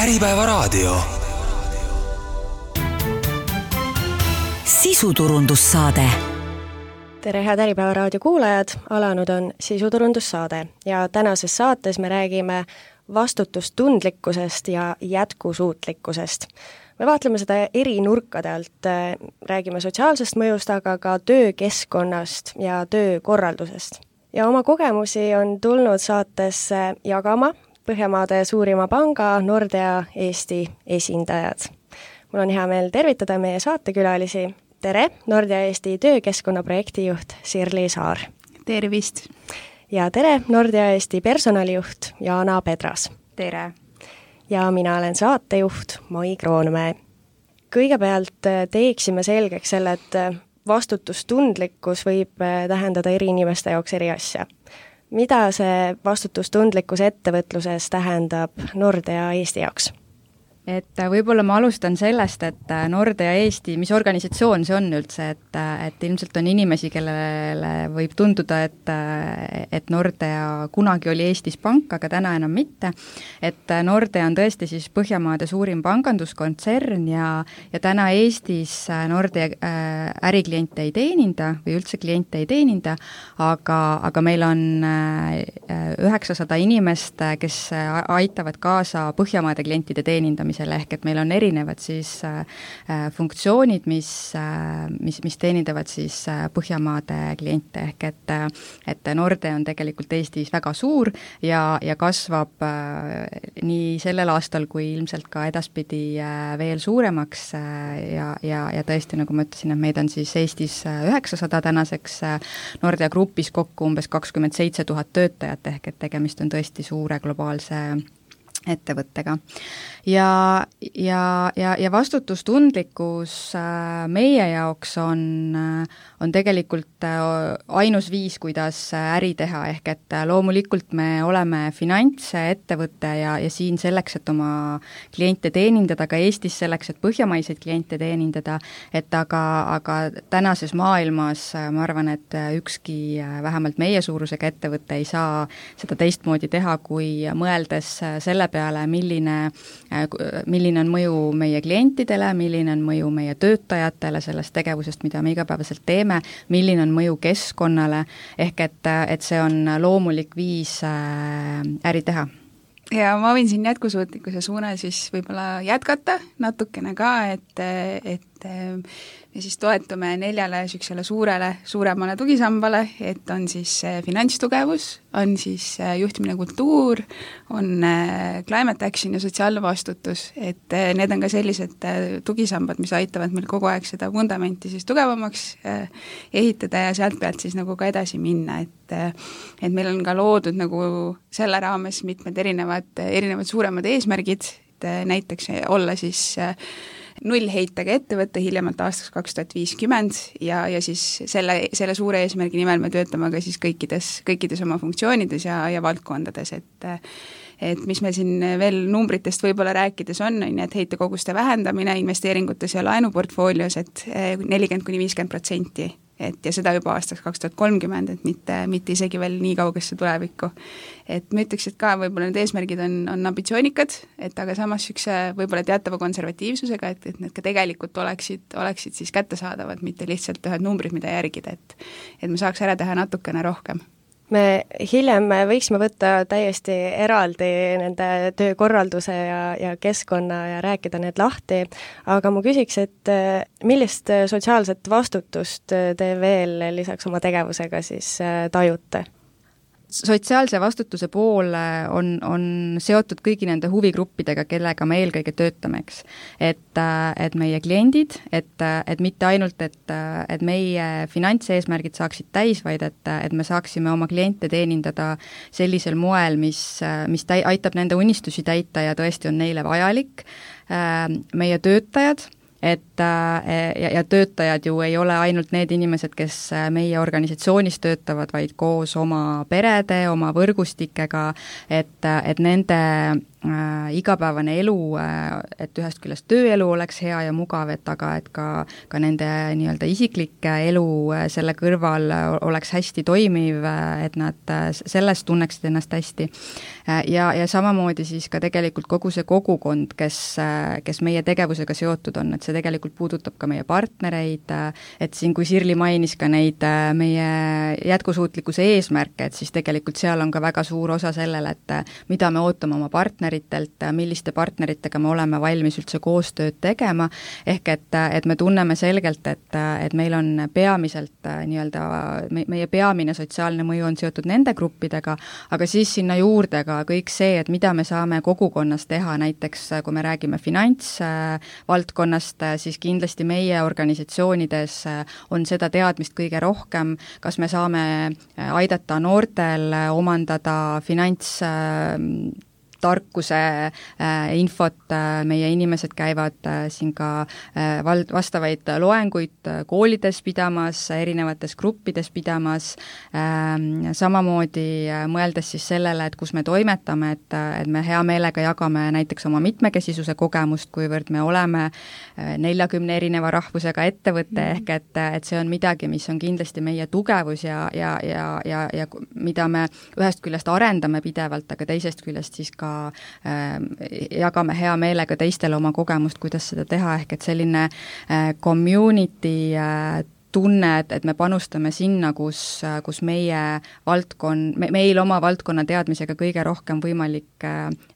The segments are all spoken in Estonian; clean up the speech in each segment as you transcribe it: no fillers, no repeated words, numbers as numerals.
Äripäevaraadio. Sisuturundussaade. Tere, head Äripäevaraadio kuulajad, alanud on sisuturundussaade ja tänases saates me räägime vastutustundlikkusest ja jätkusuutlikkusest. Me vaatleme seda eri nurkade alt, räägime sotsiaalsest mõjust, aga ka töökeskkonnast ja töökorraldusest. Ja oma kogemusi on tulnud saatesse jagama Põhjamaade suurima panga Nordea Eesti esindajad. Mul on hea meel tervitada meie saatekülalisi. Tere, Nordea Eesti töökeskkonna projektijuht Sirli Saar. Tervist! Ja tere, Nordea Eesti personalijuht Jaana Pedras. Tere! Ja mina olen saatejuht Mai Kroonmäe. Kõigepealt teeksime selgeks selle, et vastutustundlikkus võib tähendada eri inimeste jaoks eri asja. Mida see vastutustundlikkus ettevõtluses tähendab Nordea Eesti jaoks? Et võib-olla ma alustan sellest, et Nordea Eesti, mis organisatsioon see on üldse, et ilmselt on inimesi, kellele võib tunduda, et Nordea kunagi oli Eestis pank, aga täna enam mitte. Et Nordea on tõesti siis Põhjamaade suurim panganduskontsern ja täna Eestis Nordea ärikliente ei teeninda või üldse kliente ei teeninda, aga meil on 900 inimest, kes aitavad kaasa Põhjamaade klientide teenindamisele. Ehk et meil on erinevad siis funktsioonid, mis teenindavad siis Põhjamaade kliente, ehk et Nordea on tegelikult Eestis väga suur ja kasvab nii sellel aastal kui ilmselt ka edaspidi veel suuremaks ja tõesti, nagu ma ütlesin, et meid on siis Eestis 900 tänaseks, Nordea grupis kokku umbes 27 000 töötajat, ehk et tegemist on tõesti suure globaalse ettevõttega. Ja vastutustundlikkus meie jaoks on tegelikult ainus viis, kuidas äri teha, ehk et loomulikult me oleme finantsettevõte ja siin selleks, et oma kliente teenindada, ka Eestis selleks, et põhjamaiseid kliente teenindada, et aga tänases maailmas ma arvan, et ükski vähemalt meie suurusega ettevõte ei saa seda teistmoodi teha, kui mõeldes selle peale, milline on mõju meie klientidele, milline on mõju meie töötajatele sellest tegevusest, mida me igapäevaselt teeme, milline on mõju keskkonnale, ehk et see on loomulik viis äri teha. Ja ma võin siin jätkusuutlikkuse suunal siis võib-olla jätkata natukene ka, et me siis toetume 4 suuremale tugisambale, et on siis finantstugevus, on siis juhtimine kultuur, on climate action ja sotsiaalne vastutus, et need on ka sellised tugisambad, mis aitavad meil kogu aeg seda vundamenti siis tugevamaks ehitada ja sealt pealt siis nagu ka edasi minna, et meil on ka loodud nagu selle raames mitmed erinevad suuremad eesmärgid, et näiteks olla siis nullheitega ettevõtte hiljemalt aastaks 2050 ja siis selle suure eesmärgi nimel me töötame ka siis kõikides oma funktsioonides ja valdkondades, et mis meil siin veel numbritest võib-olla rääkides on, et heitekoguste vähendamine investeeringutes ja laenuportfoolios, et 40–50%, ja seda juba aastaks 2030, et mitte isegi veel nii kaugesse tulevikku. Et ma ütleks, et ka võib-olla need eesmärgid on ambitsioonikad, et aga samas võib-olla teatava konservatiivsusega, et need ka tegelikult oleksid siis kättesaadavad, mitte lihtsalt ühed numbrid, mida järgida, et me saaks ära teha natukene rohkem. Me hiljem võiksime võtta täiesti eraldi nende töökorralduse ja keskkonna ja rääkida need lahti, aga ma küsiks, et millist sotsiaalset vastutust te veel lisaks oma tegevusega siis tajute? Sotsiaalse vastutuse pool on seotud kõigi nende huvigruppidega, kellega me eelkõige töötame, eks. Et meie kliendid, et mitte ainult, et meie finantseesmärgid saaksid täis, vaid et me saaksime oma kliente teenindada sellisel moel, mis aitab nende unistusi täita ja tõesti on neile vajalik. Meie töötajad, et ja töötajad ju ei ole ainult need inimesed, kes meie organisatsioonis töötavad, vaid koos oma perede, oma võrgustikega, et nende igapäevane elu, et ühest küljest tööelu oleks hea ja mugav, aga et ka nende nii-öelda isiklik elu selle kõrval oleks hästi toimiv, et nad selles tunneksid ennast hästi. Ja samamoodi siis ka tegelikult kogu see kogukond, kes meie tegevusega seotud on, et see tegelikult puudutab ka meie partnereid, et siin, kui Sirli mainis ka neid meie jätkusuutlikkuse eesmärke, et siis tegelikult seal on ka väga suur osa sellele, et mida me ootame oma partneritelt, milliste partneritega me oleme valmis üldse koostööd tegema, ehk et me tunneme selgelt, et meil on peamiselt nii-öelda, meie peamine sotsiaalne mõju on seotud nende gruppidega, aga siis sinna juurde ka kõik see, et mida me saame kogukonnas teha, näiteks kui me räägime finantsvaldkonnast, siis kindlasti meie organisatsioonides on seda teadmist kõige rohkem, kas me saame aidata noortel omandada tarkuse infot, meie inimesed käivad siin ka vastavaid loenguid koolides pidamas, erinevates gruppides pidamas, samamoodi mõeldes siis sellele, et kus me toimetame, et me hea meelega jagame näiteks oma mitmekesisuse kogemust, kuivõrd me oleme 40 erineva rahvusega ettevõte, ehk et see on midagi, mis on kindlasti meie tugevus ja mida me ühest küljest arendame pidevalt, aga teisest küljest siis ka jagame hea meelega teistele oma kogemust, kuidas seda teha, ehk et selline community tunne, et me panustame sinna, kus meil oma valdkonna teadmisega kõige rohkem võimalik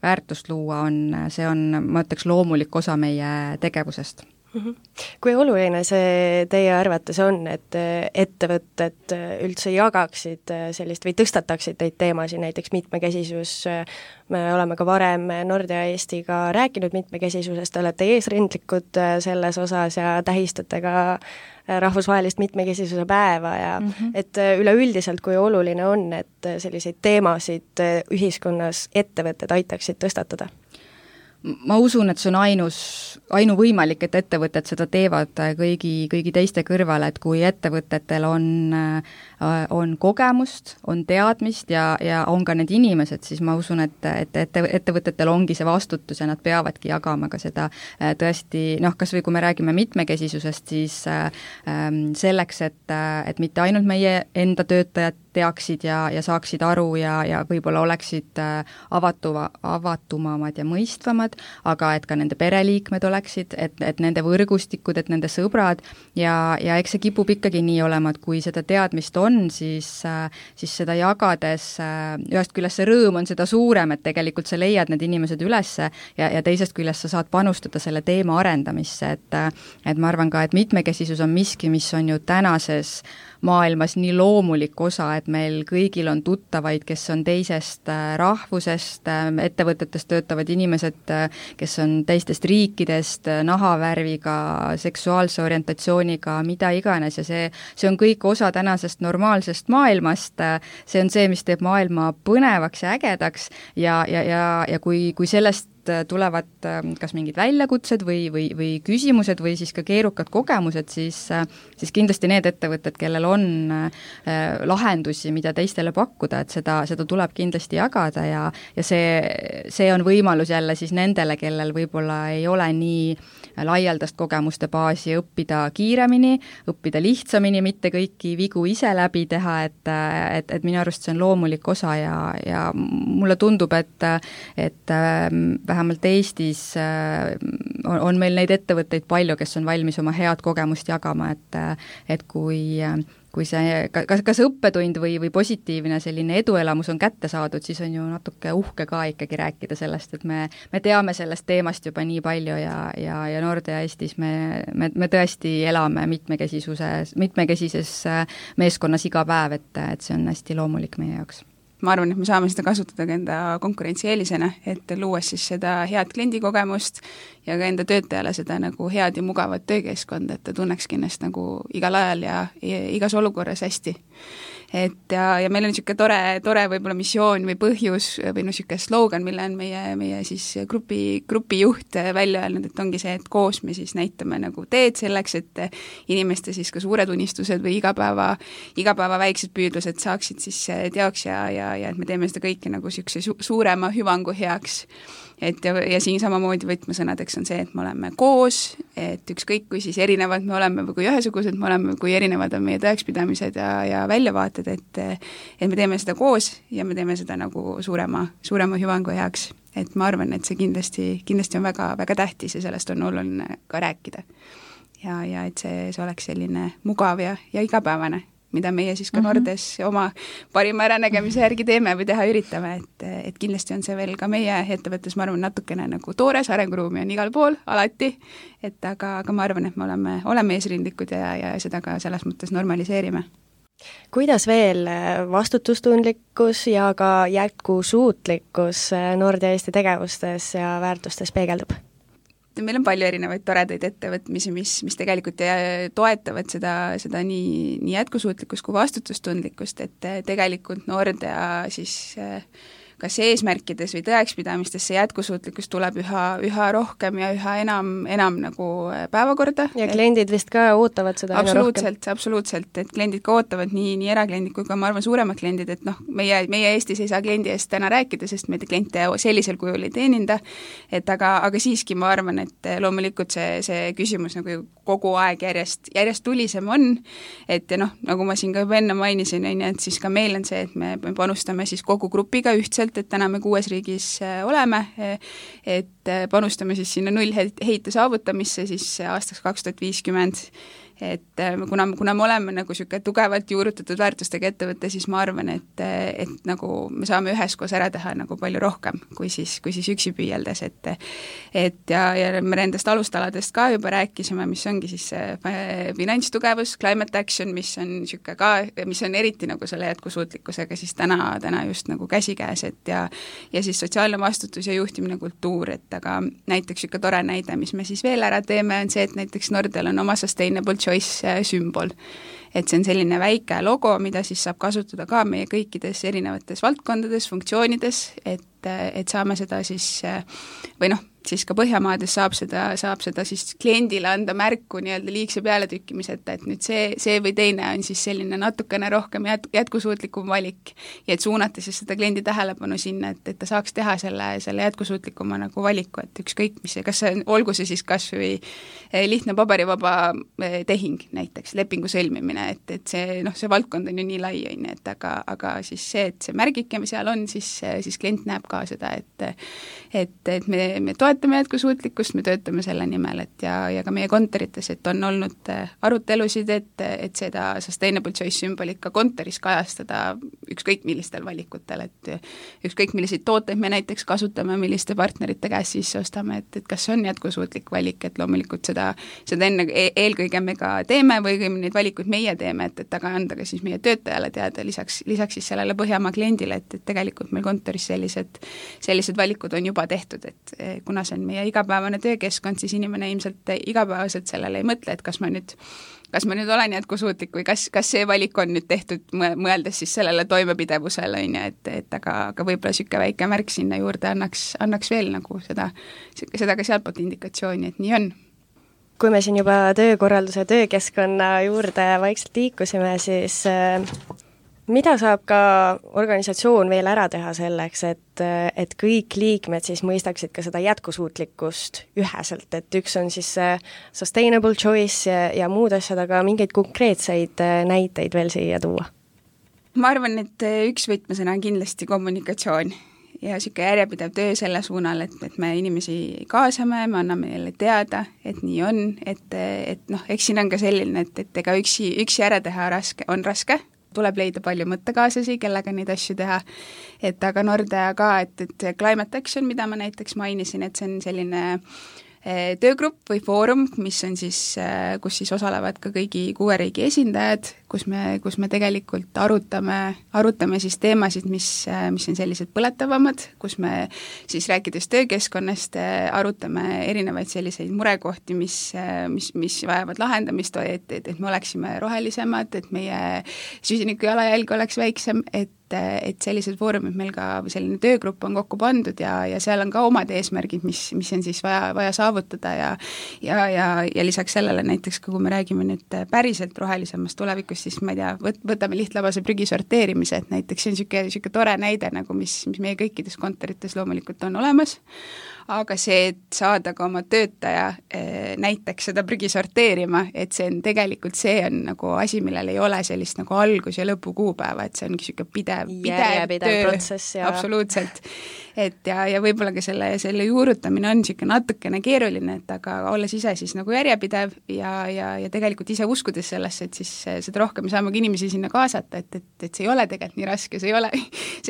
väärtust luua see on, ma ütleks, loomulik osa meie tegevusest. Kui oluline see teie arvates on, et ettevõtted üldse jagaksid sellist või tõstataksid neid teemasid, näiteks mitmekesisus, me oleme ka varem Nordea Eestiga rääkinud mitmekesisusest, te olete eesrindlikud selles osas ja tähistate ka rahvusvahelist mitmekesisuse päeva ja et üleüldiselt, kui oluline on, et selliseid teemasid ühiskonnas ettevõtted aitaksid tõstatada? Ma usun, et see on ainuvõimalik, et ettevõtted seda teevad kõigi teiste kõrval, et kui ettevõtetel on kogemust, on teadmist ja on ka need inimesed, siis ma usun, et ettevõtetel ongi see vastutus ja nad peavadki jagama ka seda tõesti, kas või kui me räägime mitmekesisusest, siis selleks, et mitte ainult meie enda töötajad teaksid ja saaksid aru ja võib-olla oleksid avatumamad ja mõistvamad, aga et ka nende pereliikmed oleksid, et nende võrgustikud, et nende sõbrad ja eks see kipub ikkagi nii olema, et kui seda teadmist on, siis seda jagades ühest küljest see rõõm on seda suurem, et tegelikult sa leiad need inimesed ülesse ja teisest küljest sa saad panustada selle teema arendamisse, et ma arvan ka, et mitmekesisus on miski, mis on ju tänases maailmas nii loomulik osa, et meil kõigil on tuttavaid, kes on teisest rahvusest, ettevõtetes töötavad inimesed, kes on teistest riikidest, nahavärviga, seksuaalse orientatsiooniga, mida iganes ja see on kõik osa tänasest normaalsest maailmast, see on see, mis teeb maailma põnevaks ja ägedaks ja kui sellest tulevad kas mingid väljakutsed või küsimused või siis ka keerukad kogemused, siis kindlasti need ettevõtted, kellel on lahendusi, mida teistele pakkuda, et seda tuleb kindlasti jagada ja see on võimalus jälle siis nendele, kellel võib-olla ei ole nii laialdast kogemuste baasi, õppida kiiremini, õppida lihtsamini, mitte kõiki vigu ise läbi teha, et minu arust see on loomulik osa ja mulle tundub, et vähemalt Eestis on meil neid ettevõtteid palju, kes on valmis oma head kogemust jagama, et kui see kas õppetund või positiivne selline eduelamus on kätte saadud, siis on ju natuke uhke ka ikkagi rääkida sellest, et me teame sellest teemast juba nii palju ja Nordea Eestis me tõesti elame mitmekesises meeskonnas iga päev, et see on hästi loomulik meie jaoks. Ma arvan, et me saame seda kasutada ka enda konkurentsieelisena, et luues siis seda head kliendikogemust ja ka enda töötajale seda nagu head ja mugavat töökeskkonda, et ta tunnekski ennast nagu igal ajal ja igas olukorras hästi. ja meil on niisugune tore võib-olla missioon või põhjus või niisugune slogan, mille on meie siis grupi juht välja öelnud, et ongi see, et koos me siis näitame nagu teed selleks, et inimeste siis ka suured unistused või igapäeva väiksed püüdlused saaksid siis teoks ja et me teeme seda kõike nagu niisuguse suurema hüvangu heaks. Ja siin samamoodi võtmesõnadeks on see, et me oleme koos, et ükskõik kui siis erinevad me oleme või kui ühesugused me oleme, kui erinevad on meie tõekspidamised ja väljavaated, et me teeme seda koos ja me teeme seda nagu suurema hüvangu heaks. Et ma arvan, et see kindlasti on väga, väga tähtis ja sellest on oluline ka rääkida. Ja et see oleks selline mugav ja igapäevane, mida meie siis ka Nordes oma parima äranägemise järgi teeme või teha üritame, et kindlasti on see veel ka meie ettevõttes, ma arvan, natukene nagu toores, arenguruumi on igal pool, alati, aga ma arvan, et me oleme eesrindlikud ja seda ka selles mõttes normaliseerime. Kuidas veel vastutustundlikkus ja ka jätkusuutlikkus Nordea Eesti tegevustes ja väärtustes peegeldub? Meil on palju erinevaid toredaid ettevõtmisi, mis tegelikult toetavad seda nii jätkusuutlikkust kui vastutustundlikkust, et tegelikult Nordea siis kas eesmärkides või tõekspidamistes see jätkusuutlikkus tuleb üha rohkem ja üha enam nagu päevakorda. Ja kliendid vist ka ootavad seda aina rohkem. Absoluutselt, et kliendid ka ootavad nii erakliendid kui ka ma arvan suuremad kliendid, et meie Eestis ei saa kliendi eest täna rääkida, sest me kliente sellisel kujul ei teeninda, et aga siiski ma arvan, et loomulikult see küsimus nagu kogu aeg järjest tulisem on, et ja nagu ma siin ka juba enne mainisin, et siis ka meil on see, et me panustame siis kogu grupiga ühtselt, et täna me 6 riigis oleme, et panustame siis sinna nullheite saavutamisse siis aastaks 2050, et kuna me oleme nagu niisugune tugevalt juurutatud väärtustega ettevõte, siis ma arvan, et nagu me saame üheskoos ära teha nagu palju rohkem, kui siis üksi püüeldes, et me nendest alustaladest ka juba rääkisime, mis ongi siis finantstugevus, climate action, mis on niisugune ka, mis on eriti nagu selle jätkusuutlikkusega siis täna just nagu käsikäes, et ja siis sotsiaalne vastutus ja juhtimine kultuur, et aga näiteks niisugune tore näide, mis me siis veel ära teeme, on see, et näiteks Nordeal on oma sustainable choice sümbol. Et see on selline väike logo, mida siis saab kasutada ka meie kõikides erinevates valdkondades, funktsioonides, et saame seda siis või siis ka Põhjamaades saab seda siis kliendile anda märku nii-öelda liigse pealetükkimiseta, et nüüd see või teine on siis selline natukene rohkem jätkusuutlikum valik ja et suunata siis seda kliendi tähelepanu sinna, et ta saaks teha selle jätkusuutlikuma nagu valiku, et ükskõik mis see, kas olgu see siis kas või lihtne paberivaba tehing näiteks, lepingu sõlmimine, et see valdkond on ju nii lai, et aga siis see, et see märgike seal on, siis klient näeb ka seda, et me toetame jätkusuutlikkust, me töötame selle nimel, et ja ka meie kontorites, et on olnud arutelusid, et seda sustainable choice sümbolit ka kontoris kajastada ükskõik millistel valikutel, et ükskõik milliseid tooteid me näiteks kasutame, milliste partnerite käest sisse ostame, et kas on jätkusuutlik valik, et loomulikult seda enne eelkõige me ka teeme või neid valikuid meie teeme, et aga anda ka siis meie töötajale teada lisaks siis sellele Põhjamaa kliendile, et tegelikult meil kontoris sellised valikud on juba tehtud, et kuna see on meie igapäevane töökeskkond, siis inimene ilmselt igapäevaselt sellele ei mõtle, et kas ma nüüd olen jätkusuutlik või kas see valik on nüüd tehtud mõeldes siis sellele toimepidevusele, et aga võib-olla niisugune väike märk sinna juurde annaks veel nagu seda ka sealtpoolt indikatsiooni, et nii on. Kui me siin juba töökorralduse töökeskkonna juurde vaikselt liikusime, siis mida saab ka organisatsioon veel ära teha selleks, et kõik liikmed siis mõistaksid ka seda jätkusuutlikkust üheselt, et üks on siis sustainable choice ja muud asjad, aga mingeid konkreetseid näiteid veel siia tuua? Ma arvan, et üks võtmesõna on kindlasti kommunikatsioon ja niisugune järjepidev töö selle suunal, et me inimesi kaasame, me anname neile teada, et nii on, et eks siin on ka selline, et ega üksi ära teha on raske, tuleb leida palju mõttekaaslasi, kellega neid asju teha, et aga Nordea ka, et climate action, mida ma näiteks mainisin, et see on selline töögrupp või foorum, mis on siis, kus siis osalevad ka kõigi 6 riigi esindajad, kus me tegelikult arutame siis teemasid, mis on sellised põletavamad, kus me siis rääkides töökeskkonnast arutame erinevaid selliseid murekohti, mis vajavad lahendamist, et me oleksime rohelisemad, et meie süsiniku jalajälg oleks väiksem, et sellised foorumid meil ka, selline töögrupp on kokku pandud ja seal on ka omad eesmärgid, mis on siis vaja saavutada ja lisaks sellele näiteks, kui me räägime nüüd päriselt rohelisemast tulevikust, siis ma ei tea, võtame lihtlabase prügi sorteerimise, et näiteks see on niisugune tore näide, nagu mis meie kõikides kontorites loomulikult on olemas, aga see, et saada ka oma töötaja näiteks seda prügi sorteerima, et see on tegelikult, see on nagu asi, millel ei ole sellist nagu algus- ja lõpukuupäeva, et see ongi niisugune pidev töö, protsess ja absoluutselt. Et ja võib-olla ka selle juurutamine on niisugune natukene keeruline, et aga olles ise siis nagu järjepidev ja tegelikult ise uskudes sellesse, et siis seda rohkem saame ka inimesi sinna kaasata, et see ei ole tegelikult nii raske, see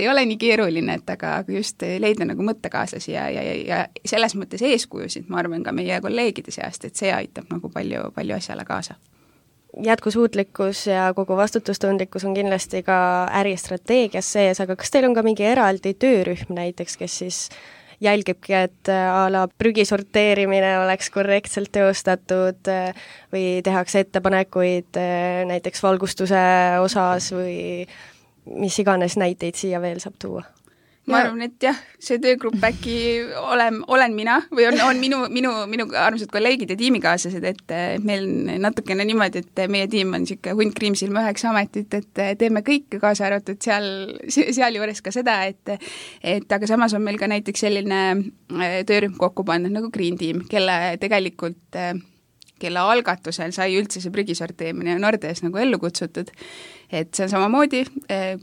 ei ole nii keeruline, et aga just leida nagu mõttekaaslasi ja selles mõttes eeskujusid, ma arvan, ka meie kolleegide seast, et see aitab nagu palju asjale kaasa. Jätkusuutlikkus ja kogu vastutustundlikkus on kindlasti ka äristrateegias sees, aga kas teil on ka mingi eraldi töörühm näiteks, kes siis jälgibki, et a la prügi sorteerimine oleks korrektselt teostatud või tehakse ettepanekuid näiteks valgustuse osas või mis iganes näiteid siia veel saab tuua? Ma arvan, et jah, see töögrupp äkki olen mina või on minu armsad kolleegid ja tiimikaaslased, et meil natukene niimoodi, et meie tiim on niisugune hunt kriimsilma 9 ametit, et teeme kõike, kaasa arvatud sealjuures ka seda, et aga samas on meil ka näiteks selline töörühm kokku pandud nagu Green Team, kelle algatusel sai üldse see prügisorteerimine Nordeas nagu ellu kutsutud, et see on samamoodi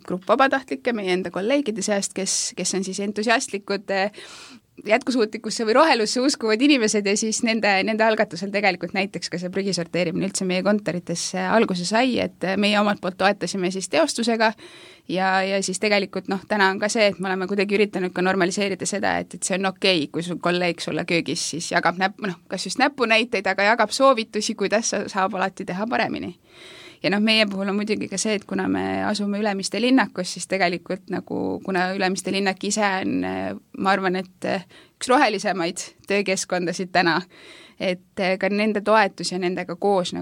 grupp vabatahtlikke meie enda kolleegide seast, kes on siis entusiastlikud jätkusuutlikusse või rohelusse uskuvad inimesed ja siis nende algatusel tegelikult näiteks ka see prügisorteerimine üldse meie kontorites alguse sai, et meie omalt poolt toetasime siis teostusega ja siis tegelikult täna on ka see, et me oleme kuidagi üritanud ka normaliseerida seda, et see on okei, kui sul kolleeg sulle köögis siis jagab kas just näpunäiteid, aga jagab soovitusi, kuidas saab alati teha paremini. Ja meie puhul on muidugi ka see, et kuna me asume Ülemiste linnakus, siis tegelikult kuna Ülemiste linnak ise on, ma arvan, et üks rohelisemaid töökeskkondasid täna, et ka nende toetus ja nendega koos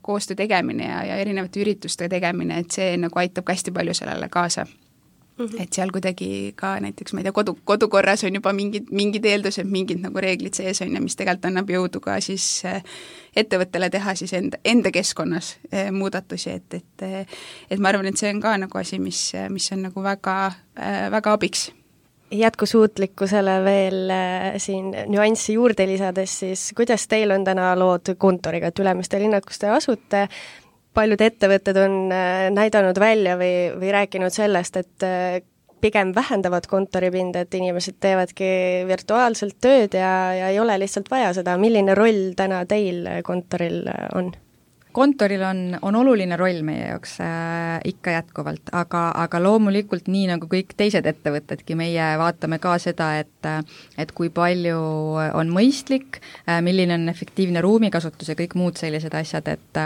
koostöö tegemine ja erinevate ürituste tegemine, et see aitab hästi palju sellele kaasa. Et seal kuidagi ka näiteks, ma ei tea, kodukorras on juba mingid eeldused, mingid reeglid sees on ja mis tegelikult annab jõudu ka siis ettevõttele teha siis enda keskkonnas muudatusi, et ma arvan, et see on ka asi, mis on väga, väga abiks. Jätkusuutlikkusele veel siin nüanssi juurde lisades, siis kuidas teil on täna lood kontoriga, et Ülemiste linnakus te asute? Paljud ettevõtted on näidanud välja või rääkinud sellest, et pigem vähendavad kontoripinda, et inimesed teevadki virtuaalselt tööd ja ei ole lihtsalt vaja seda. Milline roll täna teil kontoril on? Kontoril on oluline roll meie jaoks ikka jätkuvalt, aga loomulikult nii nagu kõik teised ettevõtedki, meie vaatame ka seda, et kui palju on mõistlik, milline on efektiivne ruumikasutus ja kõik muud sellised asjad, et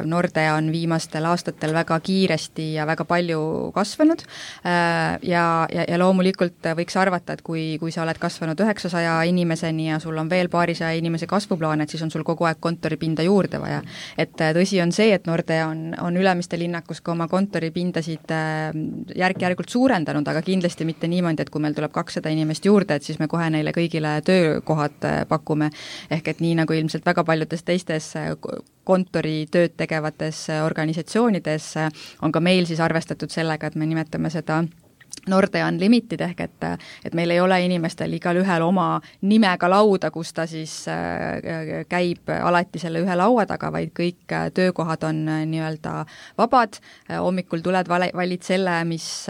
Nordea on viimastel aastatel väga kiiresti ja väga palju kasvanud ja loomulikult võiks arvata, et kui sa oled kasvanud 900 inimeseni ja sul on veel paarisaja inimese kasvuplaan, et siis on sul kogu aeg kontoripinda juurde vaja. Et tõsi on see, et Nordea on Ülemiste linnakus ka oma kontoripindasid järk-järgult suurendanud, aga kindlasti mitte niimoodi, et kui meil tuleb 200 inimest juurde, et siis me kohe neile kõigile töökohad pakume. Ehk et nii nagu ilmselt väga paljudes teistes kontoritööd tegevates organisatsioonides on ka meil siis arvestatud sellega, et me nimetame seda Nordea Unlimited ehk et meil ei ole inimestel igal ühel oma nimega lauda, kus ta siis käib alati selle ühe laua taga, vaid kõik töökohad on nii-öelda vabad, hommikul tuled, valid selle, mis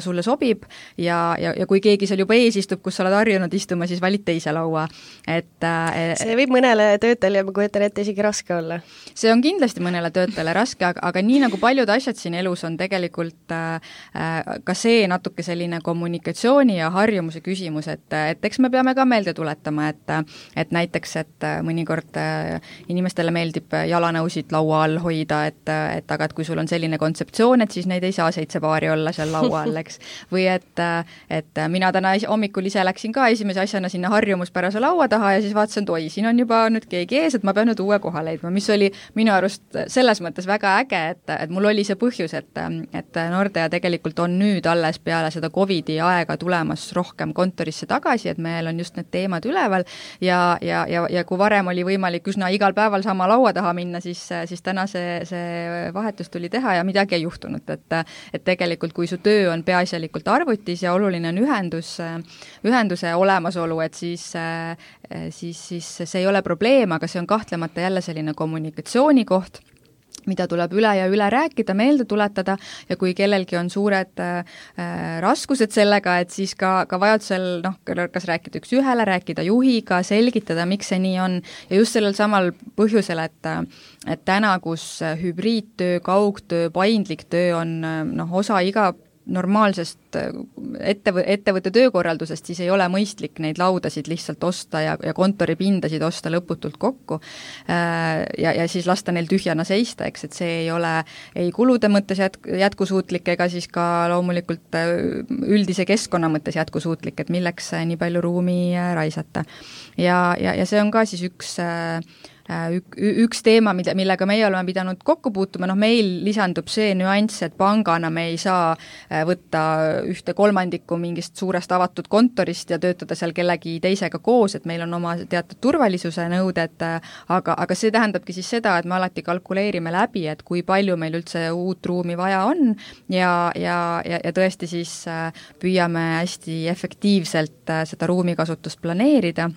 sulle sobib ja kui keegi seal juba ees istub, kus sa oled harjunud istuma, siis valid teise laua. See võib mõnele töötajale, ma kujutan ette, isegi raske olla. See on kindlasti mõnele töötajale raske, aga nii nagu paljud asjad siin elus on tegelikult ka see, see natuke selline kommunikatsiooni ja harjumuse küsimus, et eks me peame ka meelde tuletama, et näiteks, et mõnikord inimestele meeldib jalanõusid laua all hoida, et aga et kui sul on selline kontseptsioon, et siis neid ei saa 7 paari olla seal laua all, eks. Või et mina täna hommikul ise läksin ka esimese asjana sinna harjumuspärase laua taha ja siis vaatasin, et oi, siin on juba nüüd keegi ees, et ma pean nüüd uue koha leidma, mis oli minu arust selles mõttes väga äge, et mul oli see põhjus, et Nordea tegelikult on nüüd alles peale seda COVID-i aega tulemas rohkem kontorisse tagasi, et meil on just need teemad üleval ja kui varem oli võimalik üsna igal päeval sama laua taha minna, siis täna see vahetus tuli teha ja midagi ei juhtunud, et tegelikult kui su töö on peaasjalikult arvutis ja oluline on ühenduse olemasolu, et siis see ei ole probleem, aga see on kahtlemata jälle selline kommunikatsiooni koht, mida tuleb üle ja üle rääkida, meelde tuletada ja kui kellelgi on suured raskused sellega, et siis ka vajadusel, kas rääkida üks ühele, rääkida juhiga, selgitada, miks see nii on ja just sellel samal põhjusel, et täna, kus hübriidtöö, kaugtöö, paindlik töö on osa iga normaalsest ettevõtte töökorraldusest, siis ei ole mõistlik neid laudasid lihtsalt osta ja kontoripindasid osta lõputult kokku ja siis lasta neil tühjana seista, eks, et see ei ole ei kulude mõttes jätkusuutlik ega siis ka loomulikult üldise keskkonna mõttes jätkusuutlik, et milleks nii palju ruumi raisata. Ja see on ka siis üks teema, millega meie oleme pidanud kokku puutuma, meil lisandub see nüanss, et pangana me ei saa võtta 1/3 mingist suurest avatud kontorist ja töötada seal kellegi teisega koos, et meil on oma teatud turvalisuse nõuded, aga see tähendabki siis seda, et me alati kalkuleerime läbi, et kui palju meil üldse uut ruumi vaja on ja tõesti siis püüame hästi efektiivselt seda ruumikasutust planeerida.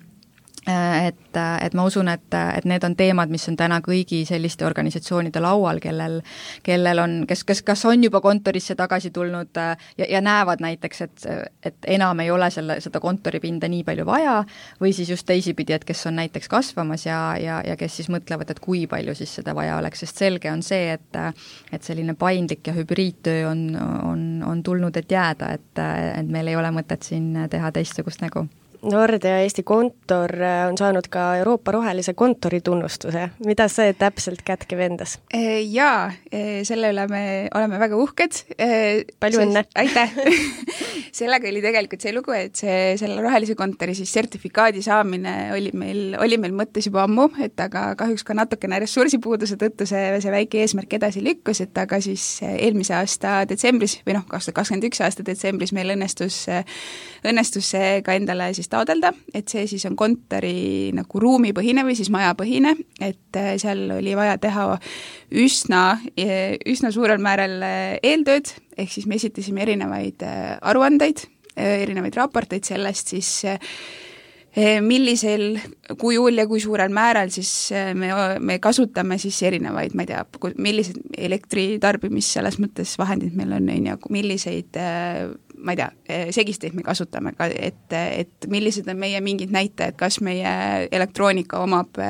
Et ma usun, et need on teemad, mis on täna kõigi selliste organisatsioonide laual, kellel on, kes kas on juba kontorisse tagasi tulnud ja näevad näiteks, et enam ei ole seda kontoripinda nii palju vaja või siis just teisipidi, et kes on näiteks kasvamas ja kes siis mõtlevad, et kui palju siis seda vaja oleks, sest selge on see, et selline paindlik ja hübriidtöö on tulnud, et jääda, et meil ei ole mõtet siin teha teistsugust nägu. Nordea Eesti kontor on saanud ka Euroopa rohelise kontori tunnustuse. Mida see täpselt kätkeb endas? Jaa, selle üle me oleme väga uhked. Palju õnne! Aitäh! Sellega oli tegelikult see lugu, et selle rohelise kontori siis sertifikaadi saamine oli meil mõttes juba ammu, et aga kahjuks ka natukene ressursipuuduse tõttu see väike eesmärk edasi lükkus, et aga siis eelmise aasta detsembris või 2021 aasta detsembris meil õnnestus see ka endale siis taodelda, et see siis on kontori nagu ruumipõhine või siis majapõhine, et seal oli vaja teha üsna suurel määral eeltööd, ehk siis me esitasime erinevaid aruandeid, erinevaid raporteid sellest siis, millisel kujul ja kui suurel määral siis me kasutame siis erinevaid, ma ei tea, millised elektritarbimis selles mõttes vahendid meil on, milliseid ma ei tea, segisteid me kasutame, et millised on meie mingid näitajad, kas meie elektroonika omab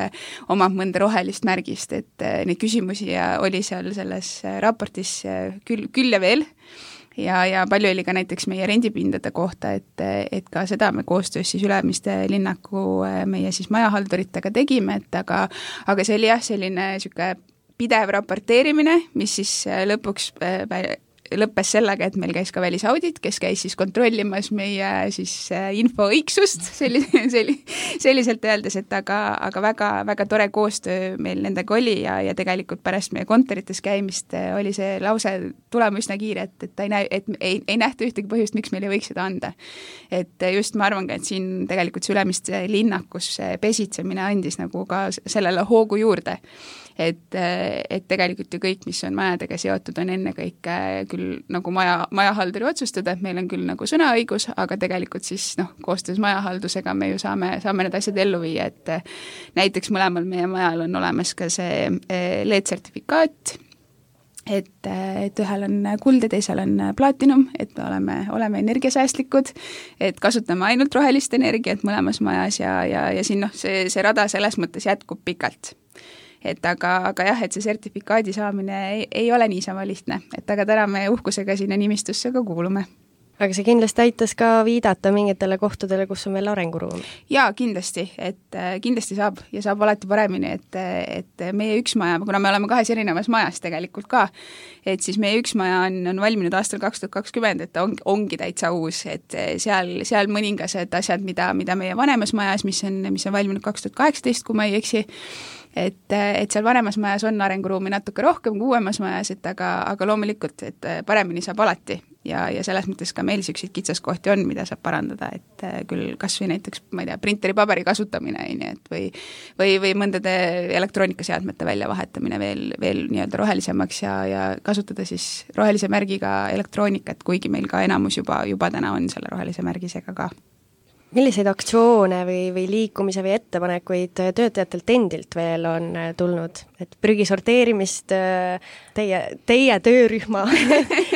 mõnda rohelist märgist, et neid küsimusi oli seal selles raportis küll ja veel, ja palju oli ka näiteks meie rendipindade kohta, et ka seda me koostöös siis Ülemiste linnaku meie siis majahalduritega tegime, et aga see oli jah, selline niisugune pidev raporteerimine, mis siis lõppes sellega, et meil käis ka välisaudit, kes käis siis kontrollimas meie siis info õigsust, selliselt öeldes, et aga väga tore koostöö meil nendega oli ja tegelikult pärast meie kontorites käimist oli see lause tulema üsna kiire, et ei nähta ühtegi põhjust, miks meil ei võiks seda anda. Et just ma arvan ka, et siin tegelikult see Ülemiste linnakus pesitsemine andis nagu ka sellele hoogu juurde. Et tegelikult ju kõik, mis on majadega seotud, on ennekõike küll nagu majahalduri otsustada, et meil on küll nagu sõnaõigus, aga tegelikult siis koostöös majahaldusega me ju saame need asjad ellu viia, et näiteks mõlemal meie majal on olemas ka see LED-sertifikaat, et ühel on kuld ja teisel on plaatinum, et me oleme energiasäästlikud, et kasutame ainult rohelist energiat mõlemas majas ja siin see rada selles mõttes jätkub pikalt. Et aga jah, et see sertifikaadi saamine ei ole niisama lihtne, et aga täna me uhkusega sinna nimistusse ka kuulume. aga see kindlasti aitas ka viidata mingitele kohtadele, kus on veel arenguruumi. Jaa, kindlasti, et kindlasti saab ja saab alati paremini, et meie üks maja, kuna me oleme kahes erinevas majas tegelikult ka, et siis meie üks maja on valminud aastal 2020, et ongi täitsa uus, et seal mõningased asjad, mida meie vanemas majas, mis on valminud 2018, kui ma ei eksi, et seal vanemas majas on arenguruumi natuke rohkem kui uuemas majas, et aga loomulikult, et paremini saab alati ja selles mõttes ka meil selliseid kitsaskohti on, mida saab parandada, et küll kas või näiteks, ma ei tea, printeri paberi kasutamine, et või mõndade elektroonikaseadmete väljavahetamine veel nii-öelda rohelisemaks ja kasutada siis rohelise märgiga elektroonikat, kuigi meil ka enamus juba täna on selle rohelise märgisega ka. Milliseid aktsioone või liikumise või ettepanekuid töötajatelt endilt veel on tulnud? Et prügi sorteerimist teie töörühma